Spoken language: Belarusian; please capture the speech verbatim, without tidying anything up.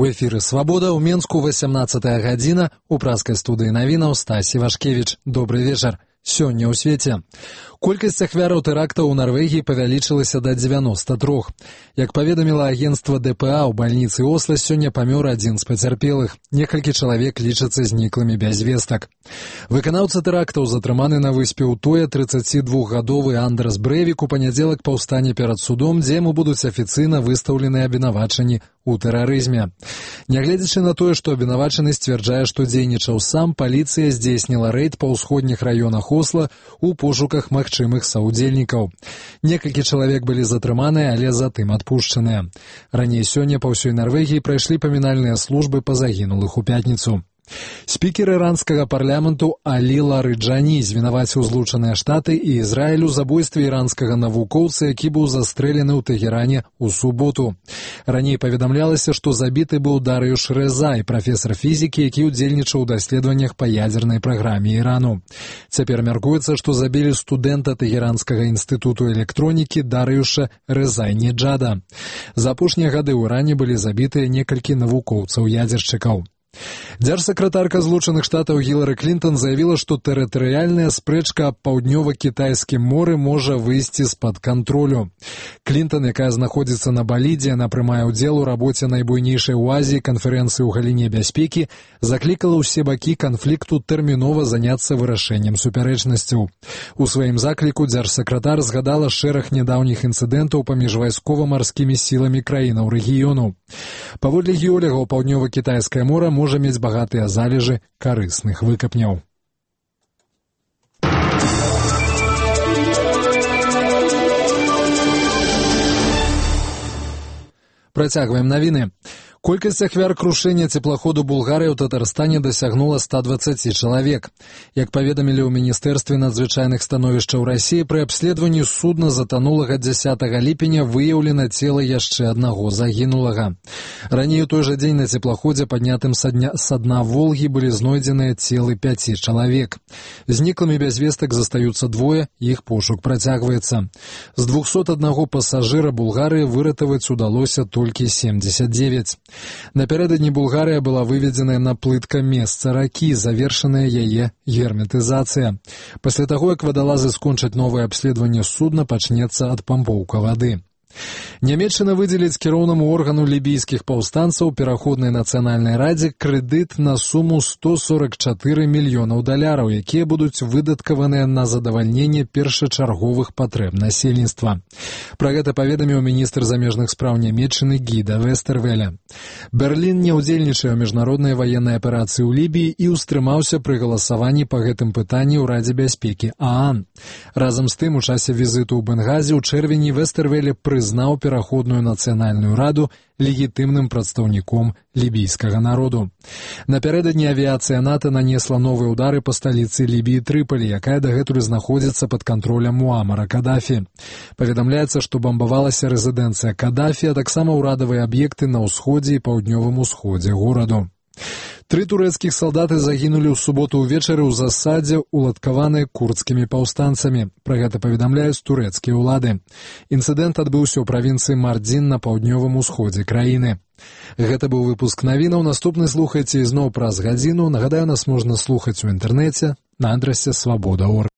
У эфіры «Свабода» ў Менску васямнаццатая гадзіна, у праскай студыі навінаў Стасі Вашкевіч. Добры вечар. Сёння ў свеце. Колькасць ахвяраў тэрактаў у Нарвегіі павялічылася да дзевяноста трох. Як паведаміла агенцтва дэ пэ а, у бальніцы Осла сёння памёр адзін з пацярпелых. Некалькі чалавек лічацца зніклымі без вестак. Выканаўца тэрактаў затрыманы на выспе Утоя трыццацідвухгадовы Андрас Брэвік у панядзелак паўстане перад судом, дзе яму будуць афіцыйна выстаўлены абвінавачанні у тэрарызме. Нягледзячы на тое, што абвінавачаны сцвярджае, што дзейнічаў сам, паліцыя здзейсніла рэйд па ўсходніх раёнах Осла у пошуках магчымых саўдзельнікаў. Некалькі чалавек былі затрыманыя, але затым адпушчаныя. Раней сёння па ўсёй Нарвегіі прайшлі памінальныя службы па загінулых у пятніцу. Спікер іранскага парламенту Алі Ларыджані звінаваціў Злучаныя Штаты і Ізраіль у забойстве іранскага навукоўца, які быў застрэлены ў Тэгеране ў суботу. Раней паведамлялася, што забіты быў Дарыюш Рэзай, прафесар фізікі, які ўдзельнічаў у даследаваннях па ядзернай праграме Ірану. Цяпер мяркуецца, што забілі студэнта Тэгеранскага інстытуту электронікі Дарыюша Рэзайнеджада. За апошнія гады ў Иране былі забітыя некалькі навукоўцаў-ядзершчыкаў. Дзяржсакратарка Злучаных Штатаў Гілары Клінтон заявіла, што тэрытарыяльная спрэчка аб паўднёва-кітайскім моры можа выйсці з-пад кантролю. Клінтон, якая знаходзіцца на Балі, дзе яна прымае ўдзел у рабоце найбуйнейшай у Азіі канферэнцыі ў галіне бяспекі, заклікала ўсе бакі канфлікту тэрмінова заняцца вырашэннем супярэчнасцяў. У сваім закліку дзяржсакратар згадала шэраг нядаўніх інцыдэнтаў паміж вайскова-марскімі сіламі краінаў рэгіёну. Паводле геолягаў, паўднёва-кітайскае мора можа мець багатыя залежы карысных выкапняў. Працягваем навіны. Колькасць ахвяр крушэння цеплаходу Булгарыі ў Татарстане дасягнула ста дваццаці чалавек. Як паведамілі ў Міністэрстве надзвычайных становішчаў Расіі, пры абследаванні судна затанулага дзясятага ліпеня выяўлена цела яшчэ аднаго загінулага. Раней у той жа дзень на цеплаходзе, паднятым са дна Волгі, былі знойдзеныя целы пяці чалавек. Зніклымі без вестак застаюцца двое, іх пошук працягваецца. З двухсот аднаго пасажыра Булгарыі выратаваць удалося толькі семдзесят дзевяць. Напярэдадні Булгарыя была выведзеная на плытка месца ракі, завершаная яе герметызацыя. Пасля таго, як вадалазы скончаць новае абследаванне судна, пачнецца адпампоўка вады. Нямецчына выдзеліць кіроўнаму органу лібійскіх паўстанцаў пераходнай нацыянальнай радзе крэдыт на суму сто сорок чатыры мільёнаў даляраў, якія будуць выдаткаваныя на задавальненне першачарговых патрэб насельніцтва. Пра гэта паведаміў міністр замежных спраў Нямецчыны Гіда Вестэрвеля. Берлін не ўдзельнічае ў міжнароднай ваеннай аперацыі ў Лібіі і ўстрымаўся пры галасаванні па гэтым пытанні ў Радзе бяспекі ААН. Разам з тым, у часе візіту ў Бенгазі ў чэрвені Вестэрвеле прызнаў пераходную нацыянальную раду легітымным прадстаўніком лібійскага народу. Напярэдадні авіяцыя НАТО нанесла новыя ўдары па сталіцы Лібіі Трыполі, якая дагэтуль знаходзіцца пад кантролем Муамара Кадафі. Паведамляецца, што бамбавалася рэзідэнцыя Кадафі, а таксама ўрадавыя аб'екты на ўсходзе і паўднёвым усходзе гораду. Тры турэцкіх салдаты загінулі ў суботу ўвечары ў засадзе, уладкаванай курдскімі паўстанцамі. Пра гэта паведамляюць турэцкія ўлады. Інцыдэнт адбыўся ў правінцыі Мардзін на паўднёвым усходзе краіны. Гэта быў выпуск навінаў. Наступны слухайце ізноў праз гадзіну. Нагадаю, нас можна слухаць у інтэрнэце на адрасе свабода точка орг.